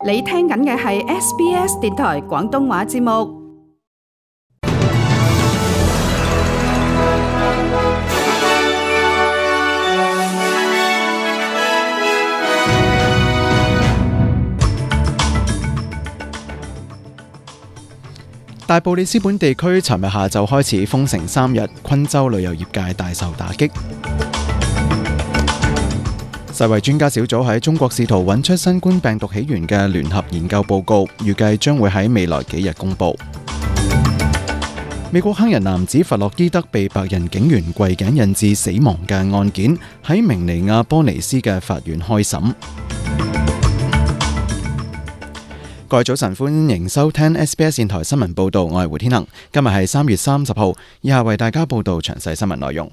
你聽緊嘅係 SBS 電台廣東話節目。大布里斯本地區尋日下晝開始封城3日，昆州旅遊業界大受打擊。世衛專家小組喺中國試圖揾出新冠病毒起源嘅聯合研究報告，預計將會喺未來幾日公佈。美國黑人男子弗洛伊德被白人警員跪頸引致死亡嘅案件，喺明尼亞波尼斯嘅法院開審。各位早晨，歡迎收聽 SBS 電台新聞報道，我係胡天恒。今日係3月30號，以下為大家報道詳細新聞內容。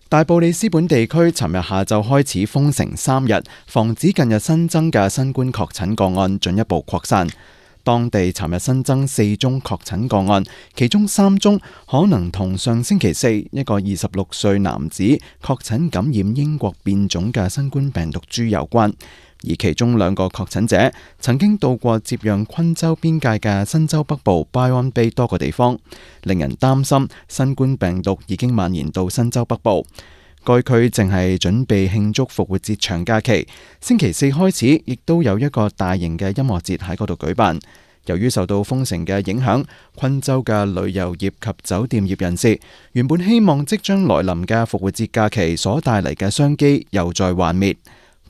大布里斯本地區尋日下晝開始封城3日，防止近日新增嘅新冠確診個案進一步擴散。當地尋日新增4宗確診個案，其中3宗可能同上星期4一個26歲男子確診感染英國變種嘅新冠病毒株有關。而其中2個確診者曾經到過接壤昆州邊界嘅新州北部 Byron Bay 多個地方，令人擔心新冠病毒已經蔓延到新州北部。該區正係準備慶祝復活節長假期，星期4開始亦都有一個大型嘅音樂節喺嗰度舉辦。由於受到封城嘅影響，昆州嘅旅遊業及酒店業人士原本希望即將來臨嘅復活節假期所帶嚟嘅商機又再幻滅。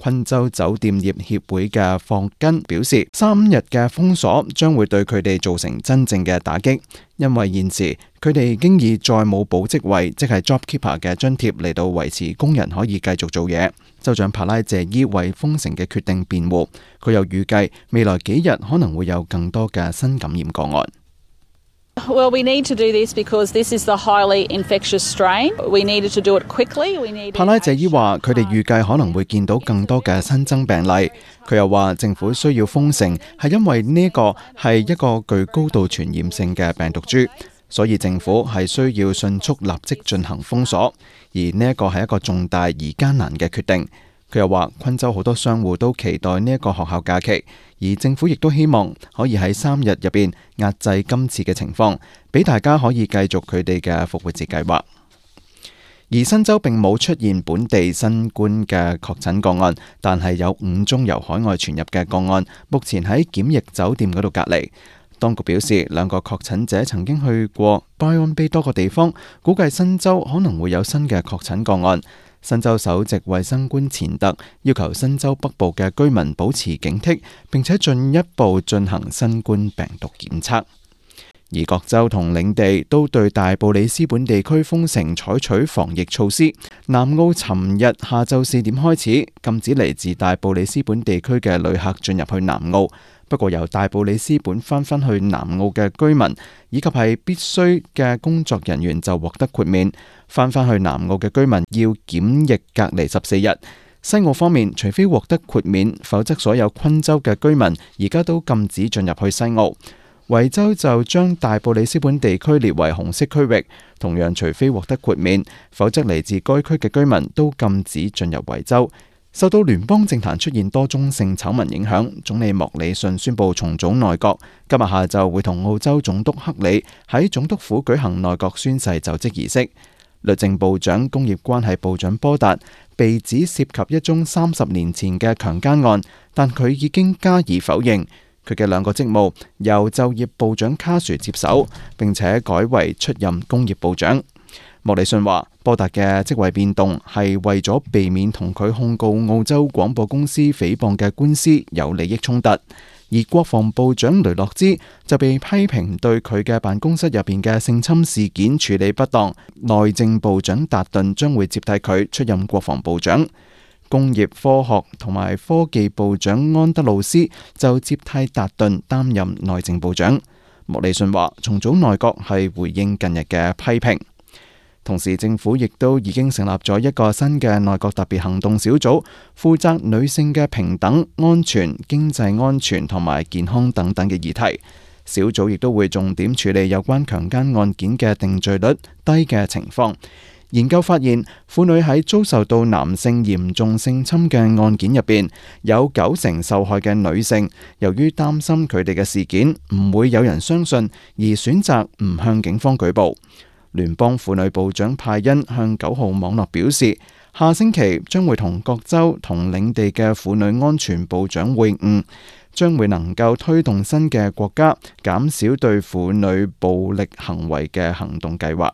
昆州酒店業協會嘅霍根表示，3日嘅封鎖將會對佢哋造成真正嘅打擊，因為現時佢哋經已再冇保職位，即係 JobKeeper 嘅津貼嚟到維持工人可以繼續做嘢。州長帕拉謝伊為封城嘅決定辯護，佢又預計未來幾日可能會有更多嘅新感染個案。Well, we need to do this because this is the highly infectious strain. We needed to do it quickly. 帕拉謝伊話：佢哋預計可能會見到更多嘅新增病例。佢又話政府需要封城係因為呢個係一個具高度傳染性嘅病毒株，所以政府係需要迅速立即進行封鎖。而呢一個係一個重大而艱難嘅決定。佢又話，昆州好多商戶都期待呢一個學校假期，而政府亦都希望可以喺3日入邊壓制今次嘅情況，俾大家可以繼續佢哋嘅復活節計劃。而新州並冇出現本地新冠嘅確診個案，但係有5宗由海外傳入嘅個案，目前喺檢疫酒店嗰度隔離。當局表示，2個確診者曾經去過 Byron Bay 多個地方，估計新州可能會有新嘅確診個案。新州首席衛生官錢特要求新州北部嘅居民保持警惕，並且進一步進行新冠病毒檢測。而各州同領地都對大布里斯本地區封城採取防疫措施。南澳尋日下晝4點開始禁止嚟自大布里斯本地區嘅旅客進入去南澳，不過由大布里斯本翻返去南澳嘅居民以及係必須嘅工作人員就獲得豁免，翻返去南澳嘅居民要檢疫隔離14日。西澳方面，除非獲得豁免，否則所有昆州嘅居民而家都禁止進入去西澳。維州就將大布里斯本地區列為紅色區域，同樣除非獲得豁免，否則嚟自該區嘅居民都禁止進入維州。受到聯邦政壇出現多宗性醜聞影響，總理莫里遜宣布重組內閣，今日下晝會同澳洲總督克里喺總督府舉行內閣宣誓就職儀式。律政部長、工業關係部長波達被指涉及一宗30年前嘅強姦案，但佢已經加以否認。佢嘅2個職務由就業部長卡殊接手，並且改為出任工業部長。莫里遜話，波達嘅職位變動係為咗避免同佢控告澳洲廣播公司誹謗嘅官司有利益衝突。而國防部長雷諾茲就被批評對佢嘅辦公室入邊嘅性侵事件處理不當，內政部長達頓將會接替佢出任國防部長。工業科學同埋科技部長安德魯斯就接替達頓擔任內政部長。莫里遜話，重組內閣係回應近日嘅批評。同時，政府亦都已經成立咗一個新嘅內閣特別行動小組，負責女性嘅平等、安全、經濟安全同埋健康等等嘅議題。小組亦都會重點處理有關強姦案件嘅定罪率低嘅情況。研究發現，婦女喺遭受到男性嚴重性侵嘅案件入邊，有90%受害嘅女性，由於擔心佢哋嘅事件唔會有人相信，而選擇唔向警方舉報。聯邦婦女部長派恩向9號網絡表示，下星期將會同各州同領地嘅婦女安全部長會晤，將會能夠推動新嘅國家減少對婦女暴力行為嘅行動計劃。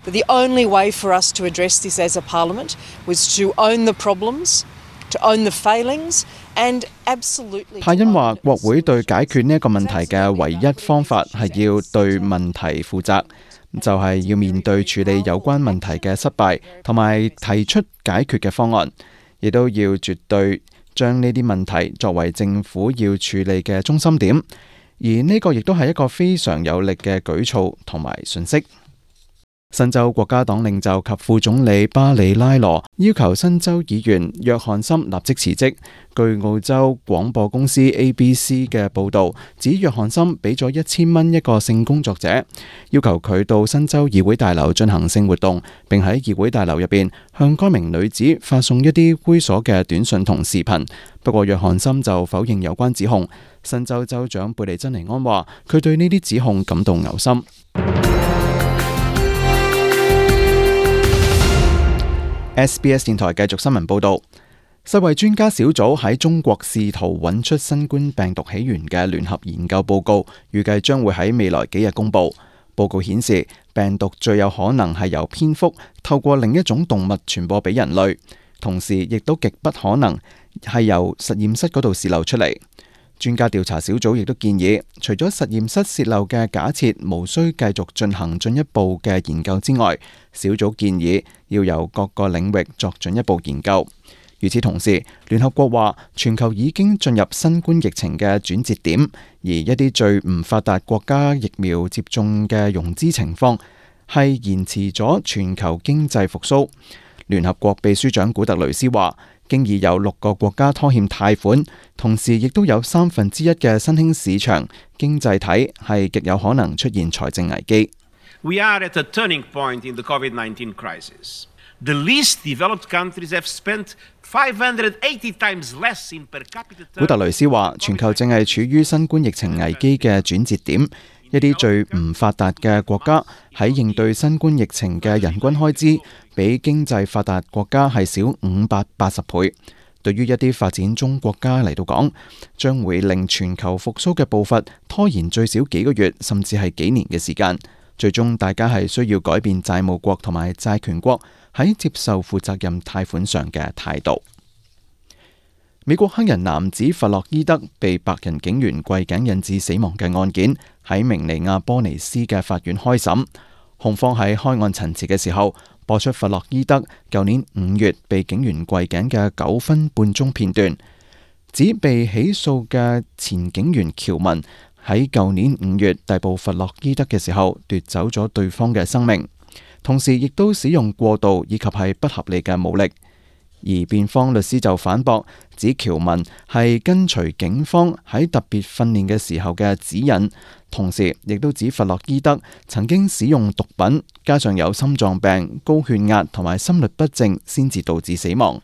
The only way for us to address this as a parliament was to own the problems, to own the failings, and absolutely. 派恩話：國會對解決呢一個問題嘅唯一方法係要對問題負責，就係要面對處理有關問題嘅失敗，同埋提出解決嘅方案，亦都要絕對將呢啲問題作為政府要處理嘅中心點。而呢個亦都係一個非常有力嘅舉措同埋訊息。新州國家黨領袖及副總理巴里拉羅要求新州議員約翰森立即辭職。據澳洲廣播公司 ABC 嘅報導，指約翰森俾咗1000蚊一個性工作者，要求佢到新州議會大樓進行性活動，並喺議會大樓入邊向該名女子發送一啲猥瑣嘅短信同視頻。不過約翰森就否認有關指控。新州州長貝利珍尼安話，佢對呢啲指控感到嘔心。SBS 電台繼續新聞報導，世衛專家小組喺中國試圖揾出新冠病毒起源嘅聯合研究報告，預計將會喺未來幾日公佈。報告顯示，病毒最有可能係由蝙蝠透過另一種動物傳播俾人類，同時亦都極不可能係由實驗室嗰度洩漏出嚟。專家調查小組亦都建議，除咗實驗室洩漏嘅假設無需繼續進行進一步嘅研究之外，小組建議要由各個領域作進一步研究。與此同時，聯合國話全球已經進入新冠疫情嘅轉折點，而一啲最唔發達國家疫苗接種嘅融資情況係延遲咗全球經濟復甦。聯合國秘書長古特雷斯話，經已有6個國家拖欠貸款，同時亦都有1/3嘅新興市場經濟體係極有可能出現財政危機。We are at a turning point in the COVID-19 crisis. The least developed countries have spent 580 times less in per capita. 古特雷斯話，全球正係處於新冠疫情危機嘅轉折點。一啲最唔發達嘅國家喺應對新冠疫情嘅人均開支，比經濟發達國家係少580倍。對於一啲發展中國家嚟到講，將會令全球復甦嘅步伐拖延最少幾個月，甚至係幾年嘅時間。最終大家係需要改變債務國同埋債權國喺接受負責任貸款上嘅態度。美國黑人男子弗洛伊德被白人警員跪頸引致死亡嘅案件喺明尼亞波尼斯嘅法院開審，控方喺開案陳詞嘅時候播出弗洛伊德舊年5月被警員跪頸嘅9分半鐘片段，指被起訴嘅前警員喬文喺舊年5月逮捕弗洛伊德嘅時候奪走咗對方嘅生命，同時亦都使用過度以及係不合理嘅武力。而辯方律師就反駁，指喬文係跟隨警方喺特別訓練嘅時候嘅指引，同時亦都指弗洛伊德曾經使用毒品，加上有心臟病、高血壓同埋心律不正，先至導致死亡。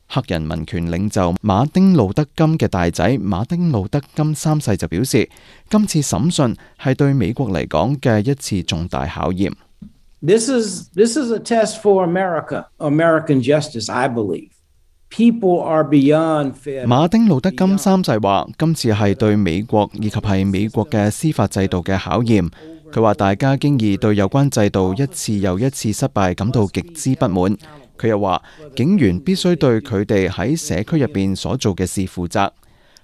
黑人民權領袖馬丁路德金嘅大仔馬丁路德金3世就表示，今次審訊係對美國嚟講嘅一次重大考驗。This is a test for American justice, I believe. People are beyond fair. 馬丁路德金3世話，今次係對美國以及係美國嘅司法制度嘅考驗。佢話大家經已對有關制度一次又一次失敗感到極之不滿。佢又話，警員必須對佢哋喺社區入邊所做嘅事負責。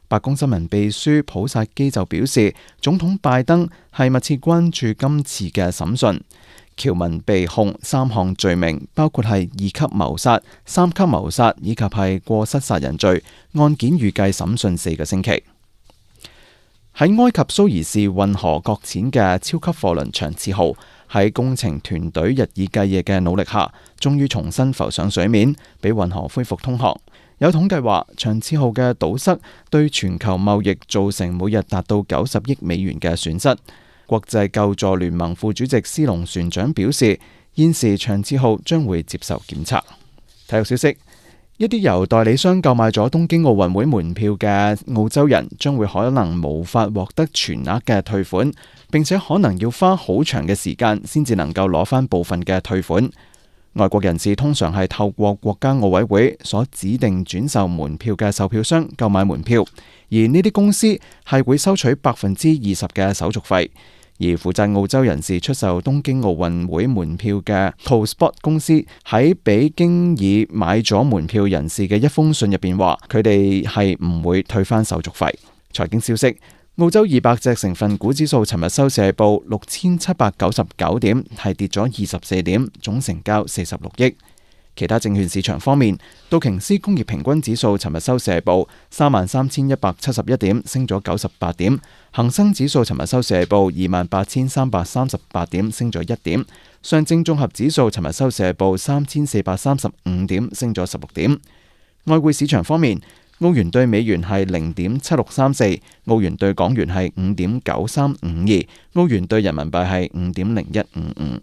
白宮新聞秘書普薩基就表示，總統拜登係密切關注今次嘅審訊。喬文被控3項罪名，包括係2級謀殺、3級謀殺以及係過失殺人罪。案件預計審訊4個星期。喺埃及蘇伊士運河擱淺嘅超級貨輪長賜號，喺工程團隊日以繼夜嘅努力下，終於重新浮上水面，俾運河恢復通航。有統計話，長賜號嘅堵塞對全球貿易造成每日達到90億美元嘅損失。國際救助聯盟副主席斯隆船長表示，現時長賜號將會接受檢查。體育消息，一啲由代理商購買咗東京奧運會門票嘅澳洲人將會可能無法獲得全額嘅退款，並且可能要花好長嘅時間先至能夠攞返部分嘅退款。外國人士通常係透過國家奧委會所指定轉售門票嘅售票商購買門票，而呢啲公司係會收取20%嘅手續費。而負責澳洲人士出售東京奧運會門票嘅 ToSport 公司喺俾經已買咗門票人士嘅一封信入邊話，佢哋係唔會退翻手續費。財經消息，澳洲200隻成分股指數尋日收市係報6799點，係跌咗24點，總成交46億。其他證券市場方面，道瓊斯工業平均指數尋日收市係報33171點，升咗98點；恒生指數尋日收市係報28338點，升咗1點；上證綜合指數尋日收市係報3435點，升咗16點。外匯市場方面，澳元對美元係0.7634，澳元對港元係5.9352，澳元對人民幣係5.0155。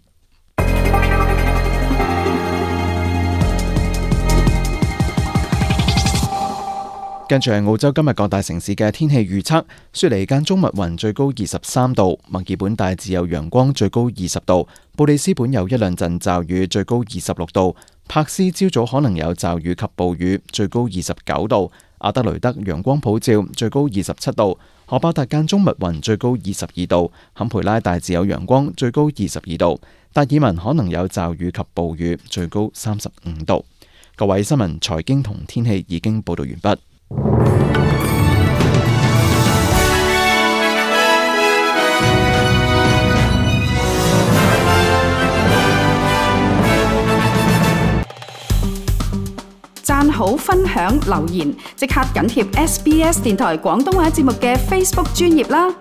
跟住係澳洲今日各大城市嘅天氣預測：雪梨間中密雲，最高23度；墨爾本大致有陽光，最高20度；布里斯本有一兩陣驟雨，最高26度；柏斯朝早可能有驟雨及暴雨，最高29度；阿德雷德陽光普照，最高27度；荷巴達間中密雲，最高22度；坎培拉大致有陽光，最高22度；達爾文可能有驟雨及暴雨，最高35度。各位新聞、財經同天氣已經報道完畢。讚好、分享、留言，即刻緊貼SBS 電台廣東話節目嘅 Facebook 專頁啦！